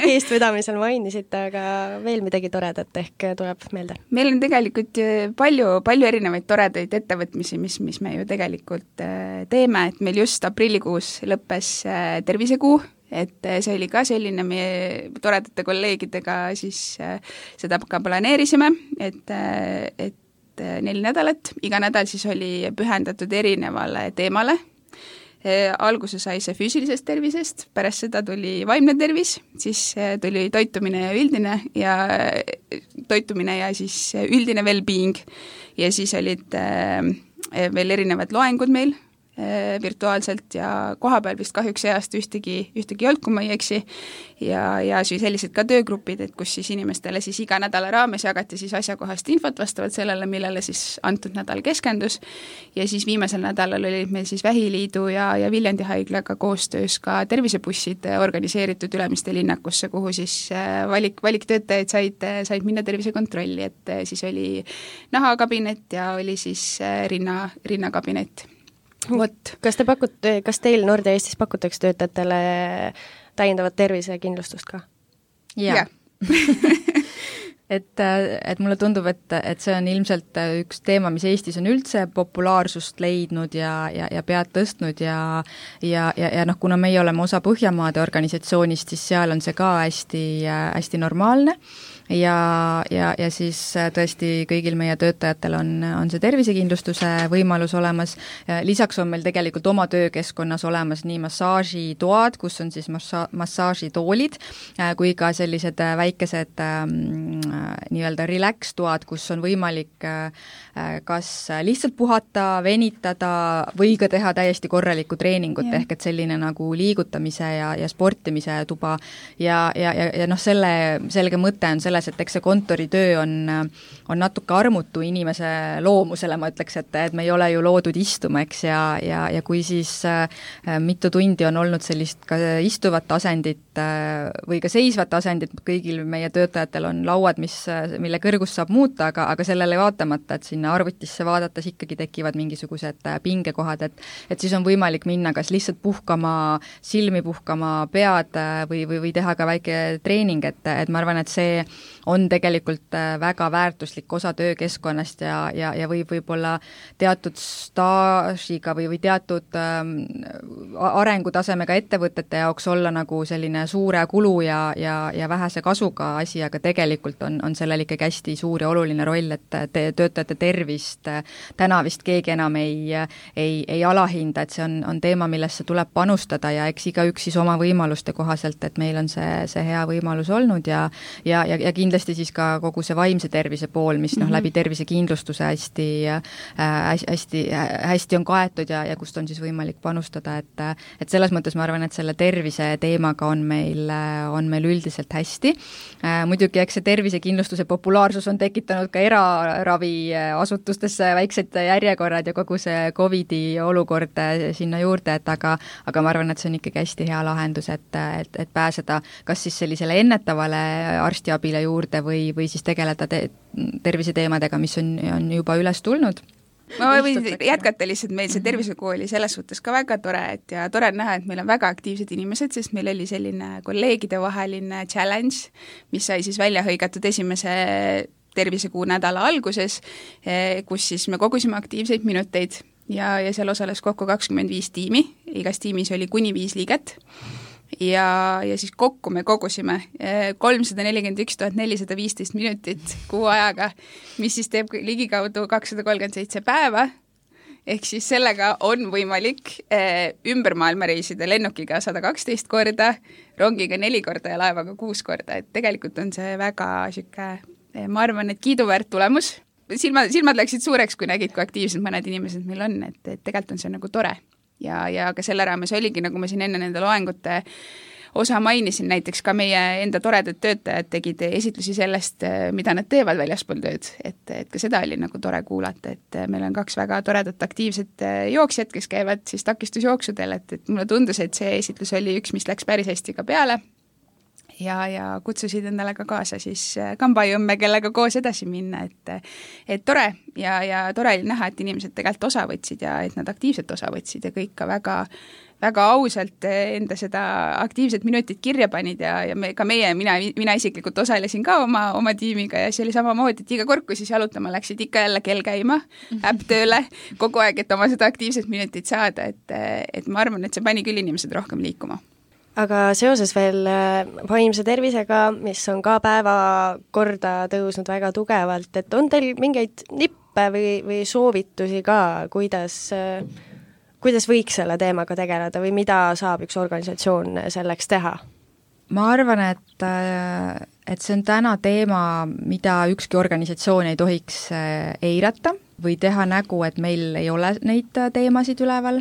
eestvedamisel mainisite, aga veel midagi toredat ehk tuleb meelde? Meil on tegelikult palju erinevaid toredaid ettevõtmisi, mis me ju tegelikult teeme, et meil just aprillikuus lõppes tervisekuu, et see oli ka selline, meie toredate kolleegidega siis seda ka planeerisime, et 4 nädalat, iga nädal siis oli pühendatud erinevale teemale. Alguse sai see füüsilisest tervisest, pärast seda tuli vaimne tervis, siis tuli toitumine ja siis üldine well-being ja siis olid veel erinevad loengud meil virtuaalselt ja kohapeal vist kahjuks see aasta ühtegi ei olnud, kui ma ei eksi, ja siis sellised ka töögrupid, et kus siis inimestele siis iga nädala raames jagati siis asjakohast infot vastavalt sellele, millele siis antud nädal keskendus, ja siis viimasel nädalal olid meil siis Vähiliidu ja Viljandi haiglaga koostöös ka tervisebussid organiseeritud Ülemiste linnakusse, kuhu siis valiktöötajad said minna tervisekontrolli, et siis oli nahakabinet ja oli siis rinnakabinet. Kas teil Nordea Eestis pakutakse töötajatele täiendavat tervisekindlustust ka? Jaa. et mulle tundub, et see on ilmselt üks teema, mis Eestis on üldse populaarsust leidnud ja pead tõstnud ja kuna meie oleme osa Põhjamaade organisatsioonist, siis seal on see ka hästi normaalne. Ja siis tõesti kõigil meie töötajatel on see tervisekindlustuse võimalus olemas. Lisaks on meil tegelikult oma töökeskkonnas olemas nii massaažitoad, kus on siis massaažitoolid, kui ka sellised väikesed nii-öelda relax-toad, kus on võimalik kas lihtsalt puhata, venitada või ka teha täiesti korralikku treeningut, ehk et selline nagu liigutamise ja sportimise tuba ja selle selge mõte on selles, et eks see kontoritöö on natuke armutu inimese loomusele, ma ütleks, et me ei ole ju loodud istuma, eks, ja kui siis mitu tundi on olnud sellist ka istuvat asendit või ka seisvat asendit, kõigil meie töötajatel on lauad, mille kõrgust saab muuta, aga sellele vaatamata, et sinna arvutisse vaadates ikkagi tekivad mingisugused pingekohad, et siis on võimalik minna kas lihtsalt puhkama, silmi puhkama, pead või teha ka väike treening, et ma arvan, et see on tegelikult väga väärtuslik osa töökeskkonnast ja võib-olla teatud staažiga või teatud arengutasemega ettevõtete jaoks olla nagu selline suure kulu ja vähese kasuga asi, aga tegelikult on sellel ikkagi hästi suur ja oluline roll, et töötajate tervist täna vist keegi enam ei alahinda, et see on teema, millesse tuleb panustada ja eks igaüks siis oma võimaluste kohaselt, et meil on see hea võimalus olnud ja kindlasti siis ka kogu see vaimse tervise pool, mis läbi tervisekindlustuse hästi on kaetud ja kust on siis võimalik panustada, et selles mõttes ma arvan, et selle tervise teemaga on meil üldiselt hästi. Muidugi, eks see tervisekindlustuse populaarsus on tekitanud ka eraraviasutustesse väiksed järjekorrad ja kogu see COVID-i olukord sinna juurde, aga ma arvan, et see on ikkagi hästi hea lahendus, et pääseda kas siis sellisele ennetavale arstiabile juurde või siis tegeleda terviseteemadega, mis on juba üles tulnud. Ma võin jätkata lihtsalt, meil see tervisekooli selles suhtes ka väga tore, ja tore on näha, et meil on väga aktiivsed inimesed, sest meil oli selline kolleegide vaheline challenge, mis sai siis välja hõigatud esimese tervisekuu nädala alguses, kus siis me kogusime aktiivseid minuteid ja seal osales kokku 25 tiimi, igas tiimis oli kuni 5 liiget. ja siis kokku me kogusime 341 415 minutit kuu ajaga, mis siis teeb ligikaudu 237 päeva, ehk siis sellega on võimalik ümber maailma reisida lennukiga 112 korda, rongiga 4 korda ja laevaga 6 korda, et tegelikult on see väga sihuke, ma arvan, et kiiduväärt tulemus. Silmad läksid suureks, kui nägid, kui aktiivsed mõned inimesed meil on, et tegelikult on see nagu tore. Ja ka selle raames oligi, nagu ma siin enne nende loengute osa mainisin, näiteks ka meie enda toredad töötajad tegid esitlusi sellest, mida nad teevad väljaspool tööd, et ka seda oli nagu tore kuulata, et meil on 2 väga toredat aktiivset jooksjad, kes käivad siis takistusjooksudel, et mulle tundus, et see esitlus oli üks, mis läks päris hästi ka peale ja kutsusid endale ka kaasa siis kambajõmme, kellega koos edasi minna, et tore ja tore oli näha, et inimesed tegelikult osa võtsid ja et nad aktiivselt osa võtsid ja kõik ka väga ausalt enda seda aktiivset minutit kirja panid ja mina isiklikult osalesin ka oma tiimiga ja see oli samamoodi, et iga kord, kui siis jalutama läksid, ikka jälle kell käima, äpp tööle, kogu aeg, et oma seda aktiivset minutit saada, et ma arvan, et see pani küll inimesed rohkem liikuma. Aga seoses veel vaimse tervisega, mis on ka päevakorda tõusnud väga tugevalt, et on teil mingeid nippe või soovitusi ka, kuidas võiks selle teemaga tegeleda või mida saab üks organisatsioon selleks teha? Ma arvan, et see on täna teema, mida ükski organisatsioon ei tohiks eirata või teha nägu, et meil ei ole neid teemasid üleval.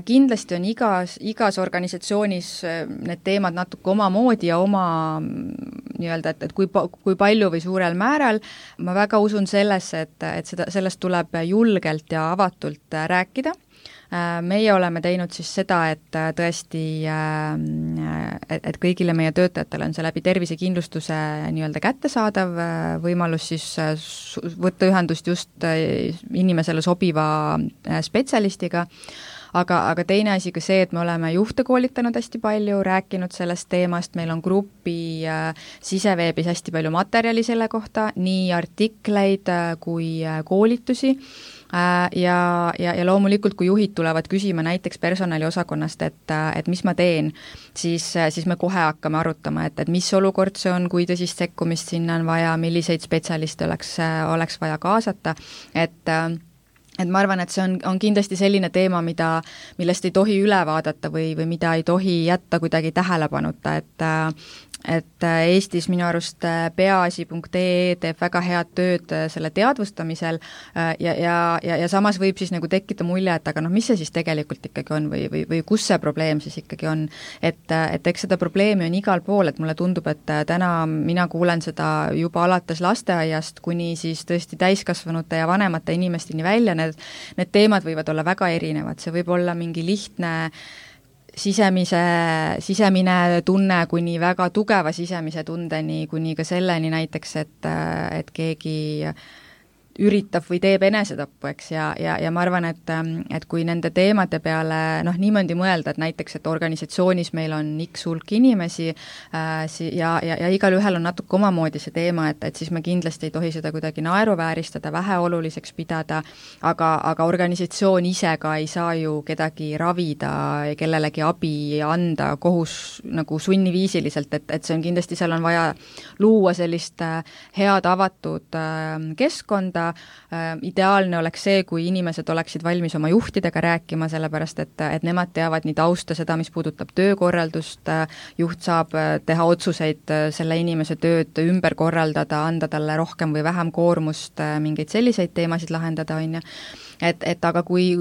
Kindlasti on igas organisatsioonis need teemad natuke omamoodi ja oma nii-öelda, et kui palju või suurel määral. Ma väga usun sellesse, et sellest tuleb julgelt ja avatult rääkida. Meie oleme teinud siis seda, et tõesti, et kõigile meie töötajatele on see läbi tervisekindlustuse nii-öelda kättesaadav võimalus siis võtta ühendust just inimesele sobiva spetsialistiga. Aga teine asi ka see, et me oleme juhte koolitanud hästi palju, rääkinud sellest teemast, meil on grupi siseveebis hästi palju materjali selle kohta, nii artikleid kui koolitusi. Ja loomulikult, kui juhid tulevad küsima näiteks personaliosakonnast, et mis ma teen, siis me kohe hakkame arutama, et mis olukord see on, kui tõsist sekkumist sinna on vaja, milliseid spetsialiste oleks vaja kaasata, et ma arvan, et see on kindlasti selline teema, millest ei tohi üle vaadata või mida ei tohi jätta kuidagi tähelepanuta, et Eestis minu arust peaasi.ee teeb väga head tööd selle teadvustamisel ja samas võib siis nagu tekkida mulje, et aga mis see siis tegelikult ikkagi on või kus see probleem siis ikkagi on. Et eks seda probleemi on igal pool, et mulle tundub, et täna mina kuulen seda juba alates lasteaiast kuni siis tõesti täiskasvanute ja vanemate inimesteni välja, need teemad võivad olla väga erinevad, see võib olla mingi lihtne sisemine tunne kuni väga tugeva sisemise tundeni, kuni ka selleni näiteks, et keegi üritab või teeb enesetappu, eks, ja ma arvan, et kui nende teemade peale niimoodi mõelda, et näiteks, et organisatsioonis meil on X hulk inimesi ja igal ühel on natuke omamoodi see teema, et siis me kindlasti ei tohi seda kuidagi naeruvääristada, väheoluliseks pidada, aga organisatsioon ise ka ei saa ju kedagi ravida, kellelegi abi anda kohus nagu sunniviisiliselt, et see on kindlasti, seal on vaja luua sellist head avatud keskkonda. Ideaalne oleks see, kui inimesed oleksid valmis oma juhtidega rääkima, sellepärast et nemad teavad nii tausta seda, mis puudutab töökorraldust, juht saab teha otsuseid selle inimese tööd ümber korraldada, anda talle rohkem või vähem koormust, mingeid selliseid teemasid lahendada, on ju. Et aga kui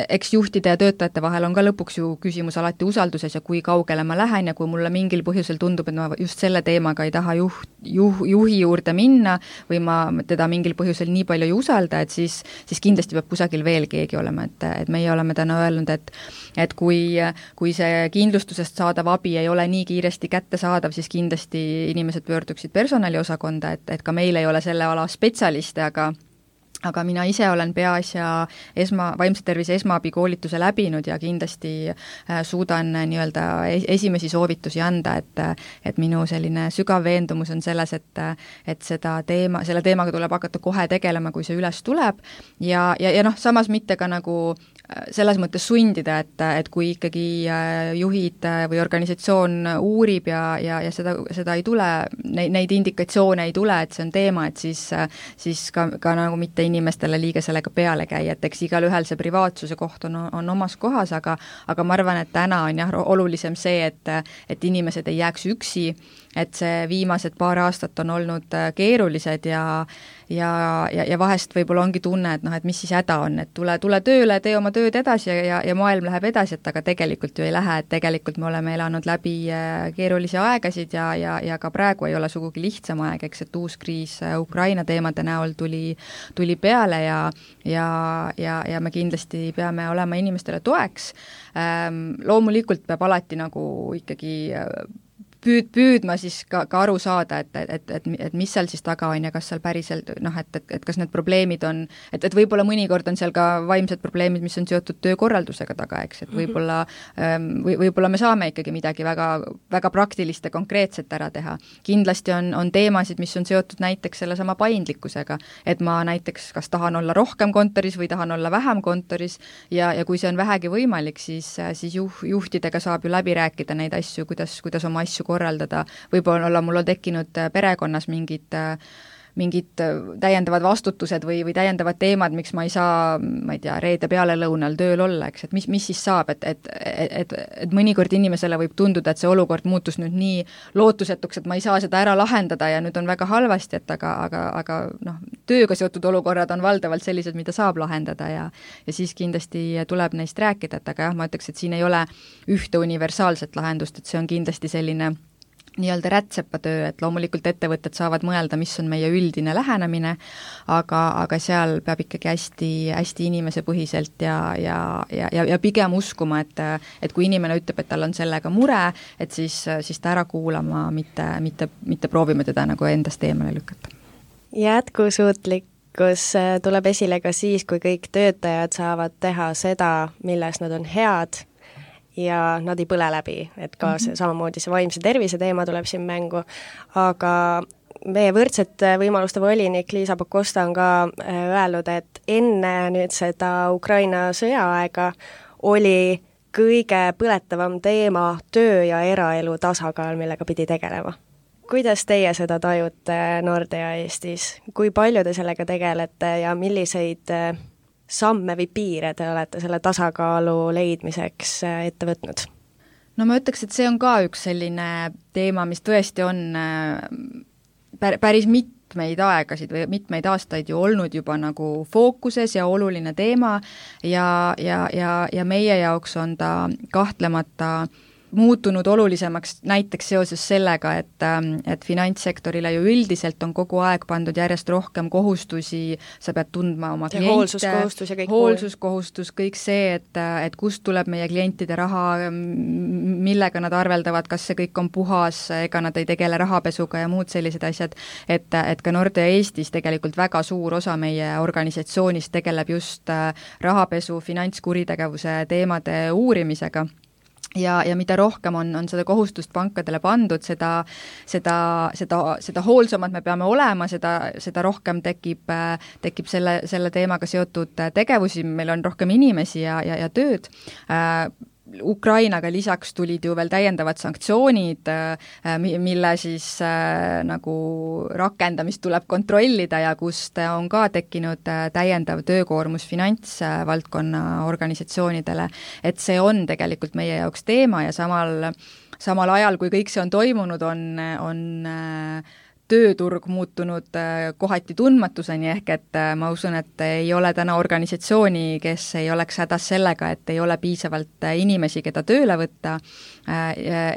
eks juhtide ja töötajate vahel on ka lõpuks ju küsimus alati usalduses ja kui kaugele ma lähen ja kui mulle mingil põhjusel tundub, et ma just selle teemaga ei taha juhi juurde minna või ma teda mingil põhjusel nii palju ei usalda, et siis kindlasti peab kusagil veel keegi olema, et meie oleme täna öelnud, et kui see kindlustusest saadav abi ei ole nii kiiresti kättesaadav, siis kindlasti inimesed pöörduksid personaliosakonda, et ka meil ei ole selle ala spetsialiste, aga mina ise olen peaasja vaimse tervise esmaabikoolituse läbinud ja kindlasti suudan nii-öelda esimesi soovitusi anda, et minu selline sügav veendumus on selles, et selle teemaga tuleb hakata kohe tegelema, kui see üles tuleb ja noh, samas mitte ka nagu selles mõttes sundida, et kui ikkagi juhid või organisatsioon uurib ja seda ei tule, neid indikatsioone ei tule, et see on teema, et siis ka nagu mitte inimestele liiga sellega peale käia, et eks igalühel see privaatsuse koht on omas kohas, aga ma arvan, et täna on jah olulisem see, et inimesed ei jääks üksi, et see viimased paar aastat on olnud keerulised ja vahest võib-olla ongi tunne, et noh, et mis siis häda on, et tule tööle, tee oma tööd edasi ja maailm läheb edasi, et aga tegelikult ju ei lähe, et tegelikult me oleme elanud läbi keerulisi aegasid ja ka praegu ei ole sugugi lihtsam aeg, eks, et uus kriis Ukraina teemade näol tuli peale ja me kindlasti peame olema inimestele toeks. Loomulikult peab alati nagu ikkagi püüdma siis ka aru saada, et mis seal siis taga on ja kas seal päriselt noh, et kas need probleemid on, et võib-olla mõnikord on seal ka vaimsed probleemid, mis on seotud töökorraldusega taga, eks, et võib-olla me saame ikkagi midagi väga, väga praktilist ja konkreetset ära teha. Kindlasti on teemasid, mis on seotud näiteks sellesama paindlikkusega, et ma näiteks kas tahan olla rohkem kontoris või tahan olla vähem kontoris ja kui see on vähegi võimalik, siis juhtidega saab ju läbi rääkida neid asju, kuidas oma asju korraldada, võib-olla mul on tekkinud perekonnas mingid täiendavad vastutused või täiendavad teemad, miks ma ei saa, ma ei tea, reede pealelõunal tööl olla, eks, et mis siis saab, et mõnikord inimesele võib tunduda, et see olukord muutus nüüd nii lootusetuks, et ma ei saa seda ära lahendada ja nüüd on väga halvasti, et aga noh, tööga seotud olukorrad on valdavalt sellised, mida saab lahendada ja siis kindlasti tuleb neist rääkida, et aga jah, ma ütleks, et siin ei ole ühte universaalset lahendust, et see on kindlasti selline nii-öelda rätsepatöö, et loomulikult ettevõtted saavad mõelda, mis on meie üldine lähenemine, aga seal peab ikkagi hästi inimesepõhiselt ja pigem uskuma, et kui inimene ütleb, et tal on sellega mure, et siis ta ära kuulama, mitte proovima teda nagu endast eemale lükata. Jätkusuutlikkus tuleb esile ka siis, kui kõik töötajad saavad teha seda, milles nad on head, ja nad ei põle läbi, et ka samamoodi see vaimse tervise teema tuleb siin mängu, aga meie võrdsete võimaluste volinik Liisa Pakosta on ka öelnud, et enne nüüd seda Ukraina sõjaaega oli kõige põletavam teema töö ja eraelu tasakaal, millega pidi tegelema. Kuidas teie seda tajute Nordea Eestis? Kui palju te sellega tegelete ja milliseid samme või piire te olete selle tasakaalu leidmiseks ette võtnud? No ma ütleks, et see on ka üks selline teema, mis tõesti on päris mitmeid aegasid või mitmeid aastaid ju olnud juba nagu fookuses ja oluline teema ja meie jaoks on ta kahtlemata muutunud olulisemaks näiteks seoses sellega, et finantssektorile ju üldiselt on kogu aeg pandud järjest rohkem kohustusi, sa pead tundma oma kliente, hoolsuskohustus, kõik see, et kust tuleb meie klientide raha, millega nad arveldavad, kas see kõik on puhas, ega nad ei tegele rahapesuga ja muud sellised asjad, et ka Nordea Eestis tegelikult väga suur osa meie organisatsioonist tegeleb just rahapesu, finantskuritegevuse teemade uurimisega. Ja mida rohkem on seda kohustust pankadele pandud, seda hoolsamad me peame olema, seda rohkem tekib selle teemaga seotud tegevusi, meil on rohkem inimesi ja tööd. Ukrainaga lisaks tulid ju veel täiendavad sanktsioonid, mille siis nagu rakendamist tuleb kontrollida ja kust on ka tekkinud täiendav töökoormus finantsvaldkonna organisatsioonidele, et see on tegelikult meie jaoks teema ja samal ajal, kui kõik see on toimunud, on tööturg muutunud kohati tundmatuseni, ehk et ma usun, et ei ole täna organisatsiooni, kes ei oleks hädas sellega, et ei ole piisavalt inimesi, keda tööle võtta,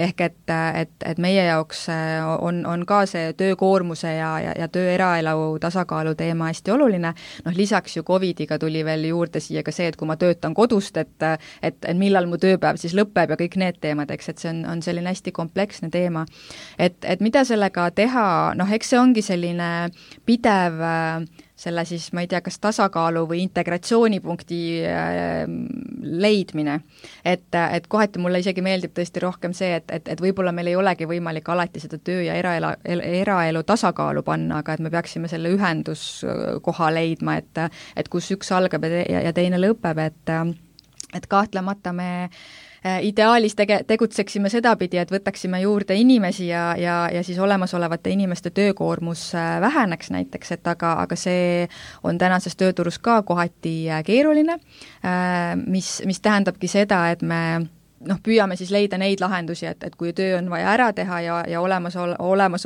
ehk et meie jaoks on ka see töökoormuse ja töö eraelu tasakaalu teema hästi oluline, lisaks ju Covidiga tuli veel juurde siia ka see, et kui ma töötan kodust, et millal mu tööpäev siis lõpeb ja kõik need teemad, eks, et see on selline hästi kompleksne teema. Et mida sellega teha, eks see ongi selline pidev selle siis, ma ei tea, kas tasakaalu või integratsioonipunkti leidmine. Et kohati mulle isegi meeldib tõesti rohkem see, et võib-olla meil ei olegi võimalik alati seda töö ja eraelu tasakaalu panna, aga et me peaksime selle ühenduskoha leidma, et kus üks algab ja teine lõpeb, et kahtlemata me ideaalis tegutseksime sedapidi, et võtaksime juurde inimesi ja siis olemasolevate inimeste töökoormus väheneks näiteks, et aga see on tänases tööturus ka kohati keeruline, mis tähendabki seda, et me püüame siis leida neid lahendusi, et kui töö on vaja ära teha ja olemas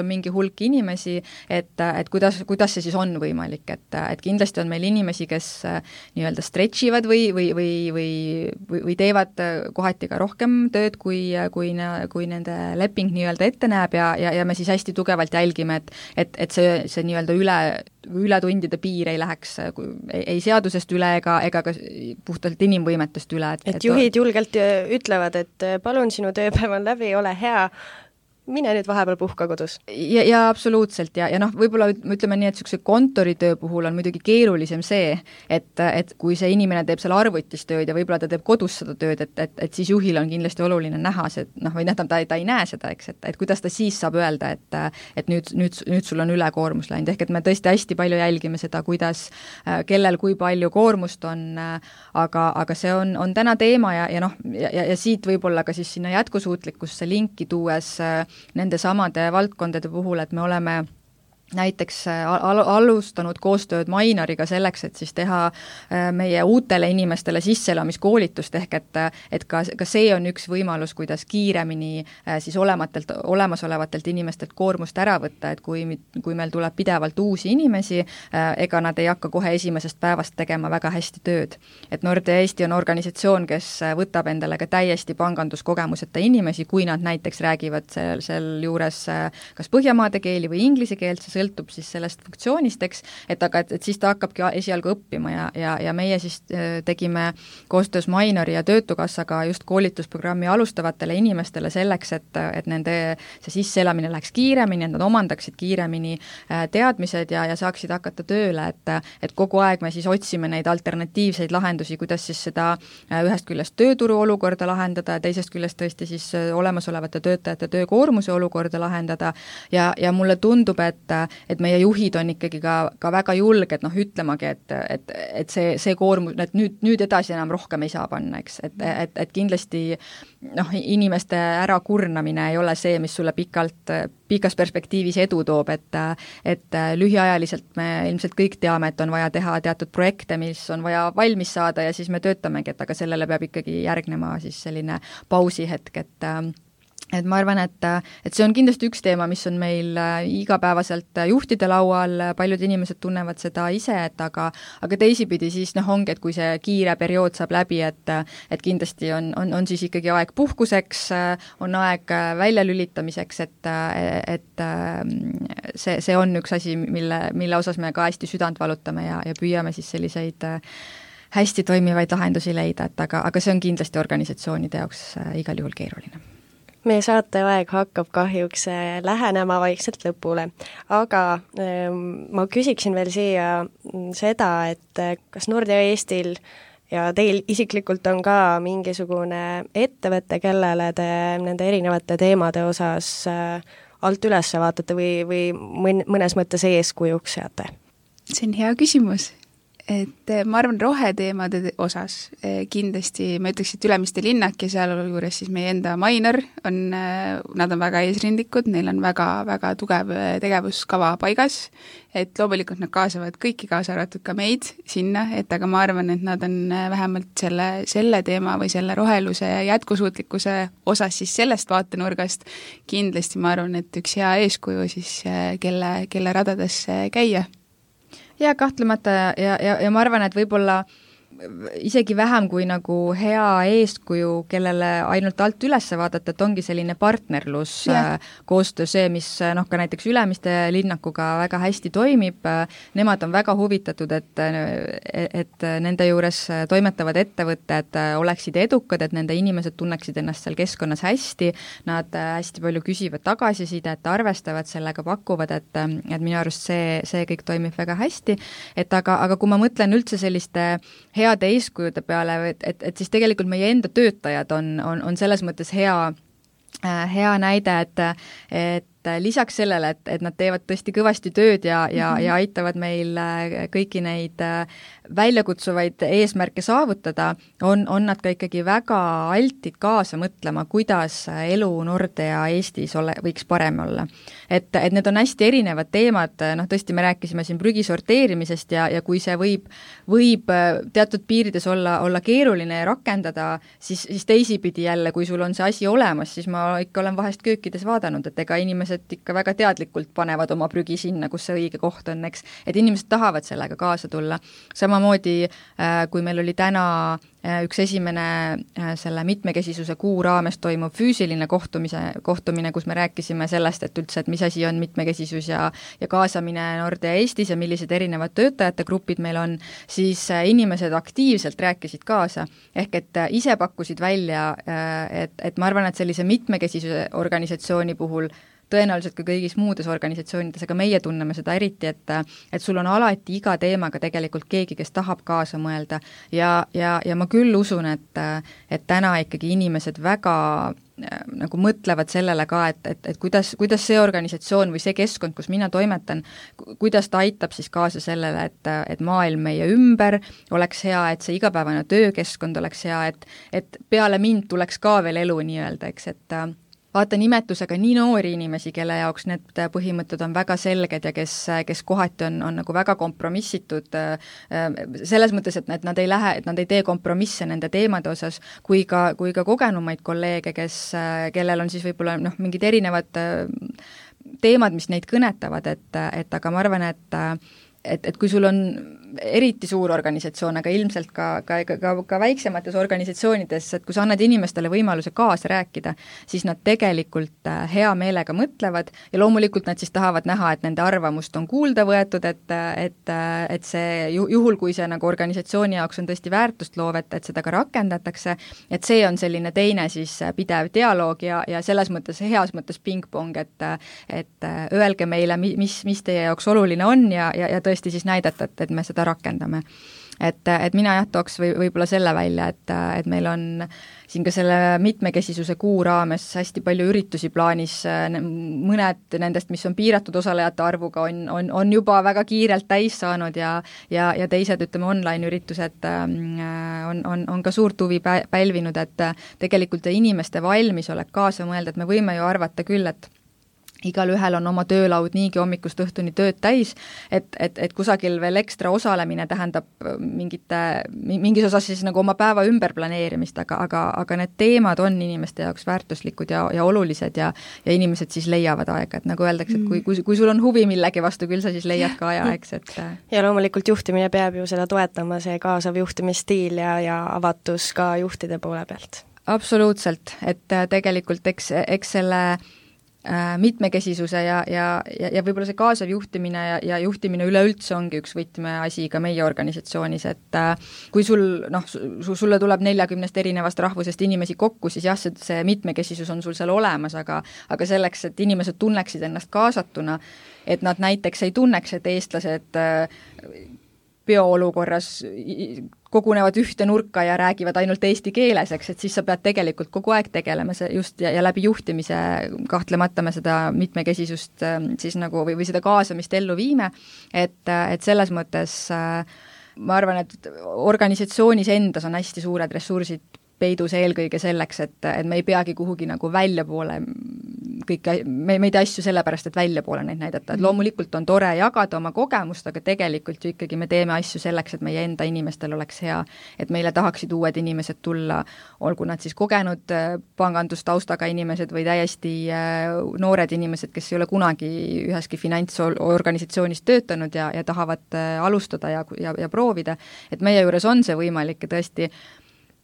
on mingi hulk inimesi, et kuidas see siis on võimalik, et kindlasti on meil inimesi, kes nii-öelda stretchivad või teevad kohati ka rohkem tööd, kui nende leping nii-öelda ette näeb ja me siis hästi tugevalt jälgime, et see nii-öelda ületundide piir ei läheks ei seadusest üle ega ka puhtalt inimvõimetest üle. Et juhid julgelt ütlevad, et palun, sinu tööpäev on läbi, ole hea, mine nüüd vahepeal puhka kodus. Ja absoluutselt ja võib-olla ütleme nii, et niisuguse kontoritöö puhul on muidugi keerulisem see, et kui see inimene teeb seal arvutis tööd ja võib-olla ta teeb kodus seda tööd, et siis juhil on kindlasti oluline näha see, või ta ei näe seda, eks, et kuidas ta siis saab öelda, et nüüd sul on ülekoormus läinud, ehk et me tõesti hästi palju jälgime seda, kuidas, kellel kui palju koormust on, aga see on täna teema ja siit võib-olla ka siis sinna jätkusuutlikkusse linki tuues nende samade valdkondade puhul, et me oleme näiteks alustanud koostööd Mainoriga selleks, et siis teha meie uutele inimestele sisseelamiskoolitust, ehk et ka see on üks võimalus, kuidas kiiremini siis olemasolevatelt inimestelt koormust ära võtta, et kui meil tuleb pidevalt uusi inimesi, ega nad ei hakka kohe esimesest päevast tegema väga hästi tööd. Et Nordea Eesti on organisatsioon, kes võtab endale ka täiesti panganduskogemuseta inimesi, kui nad näiteks räägivad seal juures kas põhjamaade keeli või inglise keelt, sõltub siis sellest funktsioonist, eks, et siis ta hakkabki esialgu õppima ja meie siis tegime koostöös Mainori ja Töötukassaga just koolitusprogrammi alustavatele inimestele selleks, et nende see sisseelamine läheks kiiremini, et nad omandaksid kiiremini teadmised ja saaksid hakata tööle, et kogu aeg me siis otsime neid alternatiivseid lahendusi, kuidas siis seda ühest küljest tööturu olukorda lahendada ja teisest küljest tõesti siis olemasolevate töötajate töökoormuse olukorda lahendada ja mulle tundub, et meie juhid on ikkagi ka väga julged, ütlemagi, et see koormus, et nüüd edasi enam rohkem ei saa panna, eks, et kindlasti inimeste ärakurnamine ei ole see, mis sulle pikas perspektiivis edu toob, et lühiajaliselt me ilmselt kõik teame, et on vaja teha teatud projekte, mis on vaja valmis saada ja siis me töötamegi, aga sellele peab ikkagi järgnema siis selline pausihetk, et ma arvan, et see on kindlasti üks teema, mis on meil igapäevaselt juhtide laual, paljud inimesed tunnevad seda ise, aga teisipidi siis ongi, et kui see kiire periood saab läbi, et kindlasti on siis ikkagi aeg puhkuseks, on aeg väljalülitamiseks, et see on üks asi, mille osas me ka hästi südant valutame ja püüame siis selliseid hästi toimivaid lahendusi leida, aga see on kindlasti organisatsioonide jaoks igal juhul keeruline. Meie saateaeg hakkab kahjuks lähenema vaikselt lõpule, aga ma küsiksin veel siia seda, et kas Nordea Eestil ja teil isiklikult on ka mingisugune ettevõte, kellele te nende erinevate teemade osas alt üles vaatate või mõnes mõttes eeskujuks seate? See on hea küsimus. Et ma arvan, roheteemade osas kindlasti ma ütleks, et Ülemiste linnak ja sealjuures siis meie enda Mainor nad on väga eesrindlikud, neil on väga tugev tegevuskava paigas, et loomulikult nad kaasavad kõiki, kaasa arvatud ka meid sinna, et aga ma arvan, et nad on vähemalt selle teema või selle roheluse ja jätkusuutlikkuse osas siis sellest vaatenurgast kindlasti ma arvan, et üks hea eeskuju siis, kelle radades käia. Ja kahtlemata ja ma arvan, et võib-olla isegi vähem kui nagu hea eeskuju, kellele ainult alt üles vaadata, et ongi selline partnerlus, koostöö see, mis ka näiteks Ülemiste linnakuga väga hästi toimib, nemad on väga huvitatud, et nende juures toimetavad ettevõtted oleksid edukad, et nende inimesed tunneksid ennast seal keskkonnas hästi, nad hästi palju küsivad tagasisidet, arvestavad sellega, pakuvad, et minu arust see kõik toimib väga hästi, et aga kui ma mõtlen üldse selliste heade eeskujude peale, et siis tegelikult meie enda töötajad on selles mõttes hea näide, et lisaks sellele, et nad teevad tõesti kõvasti tööd ja aitavad meil kõiki neid väljakutsuvaid eesmärke saavutada, on nad ka ikkagi väga altid kaasa mõtlema, kuidas elu Nordea Eestis võiks parem olla. Et need on hästi erinevad teemad, tõesti me rääkisime siin prügi sorteerimisest ja kui see võib teatud piirides olla keeruline rakendada, siis teisipidi jälle, kui sul on see asi olemas, siis ma ikka olen vahest köökides vaadanud, et ega inimesed ikka väga teadlikult panevad oma prügi sinna, kus see õige koht on, eks, et inimesed tahavad sellega kaasa tulla. Samamoodi, kui meil oli täna üks esimene selle mitmekesisuse kuu raames toimub füüsiline kohtumine, kus me rääkisime sellest, et üldse, et mis asi on mitmekesisus ja kaasamine Nordea Eestis ja millised erinevad töötajate grupid meil on, siis inimesed aktiivselt rääkisid kaasa. Ehk et ise pakkusid välja, et ma arvan, et sellise mitmekesisuse organisatsiooni puhul tõenäoliselt ka kõigis muudes organisatsioonides, aga meie tunneme seda eriti, et sul on alati iga teemaga tegelikult keegi, kes tahab kaasa mõelda ja ma küll usun, et täna ikkagi inimesed väga nagu mõtlevad sellele ka, et kuidas see organisatsioon või see keskkond, kus mina toimetan, kuidas ta aitab siis kaasa sellele, et maailm meie ümber oleks hea, et see igapäevane töökeskkond oleks hea, et peale mind tuleks ka veel elu nii-öelda, eks, et vaata nimetusega nii noori inimesi, kelle jaoks need põhimõtted on väga selged ja kes kohati on nagu väga kompromissitud selles mõttes, et nad ei tee kompromisse nende teemade osas, kui ka kogenumaid kolleege, kellel on siis võib-olla mingid erinevad teemad, mis neid kõnetavad, et aga ma arvan, et kui sul on eriti suur organisatsioon, aga ilmselt ka väiksemates organisatsioonides, et kui sa annad inimestele võimaluse kaasa rääkida, siis nad tegelikult hea meelega mõtlevad ja loomulikult nad siis tahavad näha, et nende arvamust on kuulda võetud, et see juhul, kui see nagu organisatsiooni jaoks on tõesti väärtust loov, et seda ka rakendatakse, et see on selline teine siis pidev dialoog ja selles mõttes, heas mõttes pingpong, et öelge meile, mis teie jaoks oluline on ja tõesti siis näidata, et me seda rakendame. Et mina tooks võib-olla selle välja, et meil on siin ka selle mitmekesisuse kuu raames hästi palju üritusi plaanis, mõned nendest, mis on piiratud osalejate arvuga, on juba väga kiirelt täis saanud ja teised, ütleme, online-üritused on ka suurt huvi pälvinud, et tegelikult inimeste valmisolek kaasa mõelda, et me võime ju arvata küll, et igal ühel on oma töölaud niigi hommikust õhtuni tööd täis, et kusagil veel ekstra osalemine tähendab mingis osas siis nagu oma päeva ümberplaneerimist, aga need teemad on inimeste jaoks väärtuslikud ja olulised ja inimesed siis leiavad aega, et nagu öeldakse, et kui sul on huvi millegi vastu, küll sa siis leiad ka aja, eks, et ja loomulikult juhtimine peab ju seda toetama, see kaasav juhtimisstiil ja avatus ka juhtide poole pealt. Absoluutselt, et tegelikult eks selle mitmekesisuse ja võib-olla see kaasav juhtimine ja juhtimine üleüldse ongi üks võtmeasi ka meie organisatsioonis, et kui sulle tuleb 40 erinevast rahvusest inimesi kokku, siis jah, see mitmekesisus on sul seal olemas, aga selleks, et inimesed tunneksid ennast kaasatuna, et nad näiteks ei tunneks, et eestlased bioolukorras kogunevad ühte nurka ja räägivad ainult eesti keeles, eks, et siis sa pead tegelikult kogu aeg tegelema just ja läbi juhtimise kahtlemata me seda mitmekesisust siis nagu või seda kaasamist ellu viime, et selles mõttes ma arvan, et organisatsioonis endas on hästi suured ressursid peidus eelkõige selleks, et me ei peagi kuhugi nagu väljapoole kõike, me ei tee asju sellepärast, et väljapoole neid näidata, et loomulikult on tore jagada oma kogemust, aga tegelikult ju ikkagi me teeme asju selleks, et meie enda inimestel oleks hea, et meile tahaksid uued inimesed tulla, olgu nad siis kogenud pangandustaustaga inimesed või täiesti noored inimesed, kes ei ole kunagi üheski finantsorganisatsioonis töötanud ja tahavad alustada ja proovida, et meie juures on see võimalik ja tõesti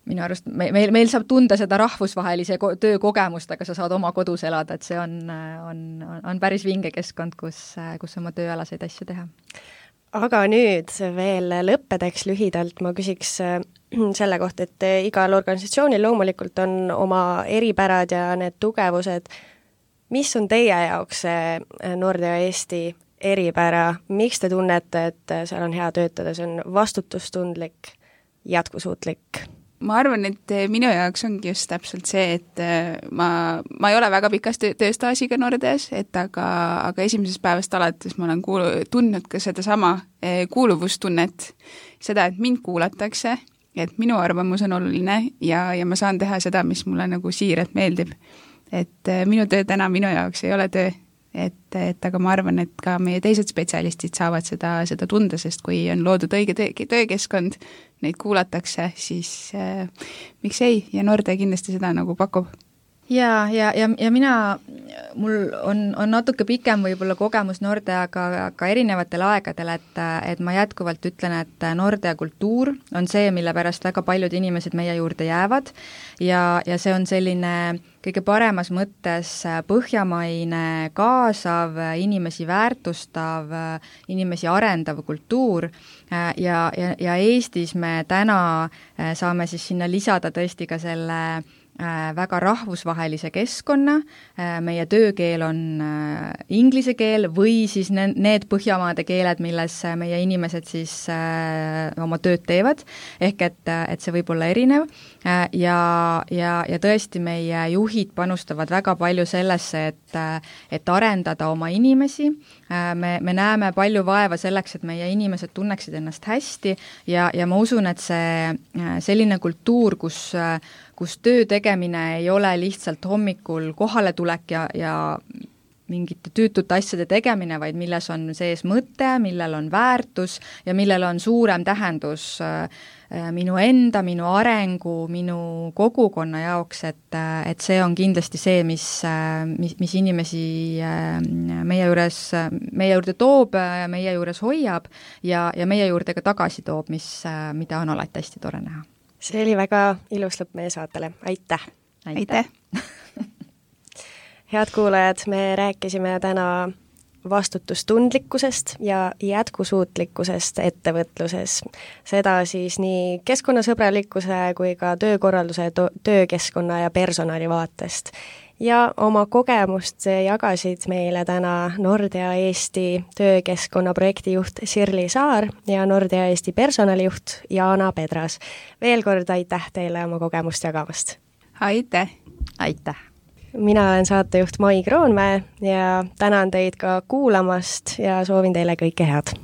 minu arust meil saab tunda seda rahvusvahelise töökogemust, aga sa saad oma kodus elada, et see on päris vinge keskkond, kus oma tööalaseid asju teha. Aga nüüd veel lõppedeks lühidalt ma küsiks selle kohta, et igal organisatsioonil loomulikult on oma eripärad ja need tugevused. Mis on teie jaoks see Nordea Eesti eripära? Miks te tunnete, et seal on hea töötada? See on vastutustundlik, jätkusuutlik? Ma arvan, et minu jaoks ongi just täpselt see, et ma ei ole väga pikas tööstaažiga Nordeas, et aga esimesest päevast alates ma olen tundnud ka seda sama kuuluvustunnet, seda, et mind kuulatakse, et minu arvamus on oluline ja ma saan teha seda, mis mulle nagu siiralt meeldib. Et minu töö täna minu jaoks ei ole töö, et aga ma arvan, et ka meie teised spetsialistid saavad seda tunda, sest kui on loodud õige töökeskkond, neid kuulatakse, siis miks ei, ja Nordea kindlasti seda nagu pakub. Ja mul on natuke pikem võib-olla kogemus Nordeaga ka erinevatel aegadel, et ma jätkuvalt ütlen, et Nordea kultuur on see, mille pärast väga paljud inimesed meie juurde jäävad ja see on selline kõige paremas mõttes põhjamaine, kaasav, inimesi väärtustav, inimesi arendav kultuur ja Eestis me täna saame siis sinna lisada tõesti ka selle väga rahvusvahelise keskkonna, meie töökeel on inglise keel või siis need Põhjamaade keeled, milles meie inimesed siis oma tööd teevad, ehk et see võib olla erinev ja tõesti meie juhid panustavad väga palju sellesse, et arendada oma inimesi, me näeme palju vaeva selleks, et meie inimesed tunneksid ennast hästi ja ma usun, et see selline kultuur, kus töö tegemine ei ole lihtsalt hommikul kohaletulek ja mingite tüütute asjade tegemine, vaid milles on sees mõte, millel on väärtus ja millel on suurem tähendus minu enda, minu arengu, minu kogukonna jaoks, et see on kindlasti see, mis inimesi meie juurde toob, meie juures hoiab ja meie juurde ka tagasi toob, mida on alati hästi tore näha. See oli väga ilus lõpp meie saatele. Aitäh! Aitäh! Head kuulajad, me rääkisime täna vastutustundlikkusest ja jätkusuutlikkusest ettevõtluses. Seda siis nii keskkonnasõbralikkuse kui ka töökorralduse, töökeskkonna ja personali vaatest. Ja oma kogemust jagasid meile täna Nordea Eesti töökeskkonna projektijuht Sirli Saar ja Nordea Eesti personalijuht Jaana Pedras. Veel kord aitäh teile oma kogemust jagamast! Aitäh! Aitäh! Mina olen saatejuht Mai Kroonmäe ja tänan teid ka kuulamast ja soovin teile kõike head!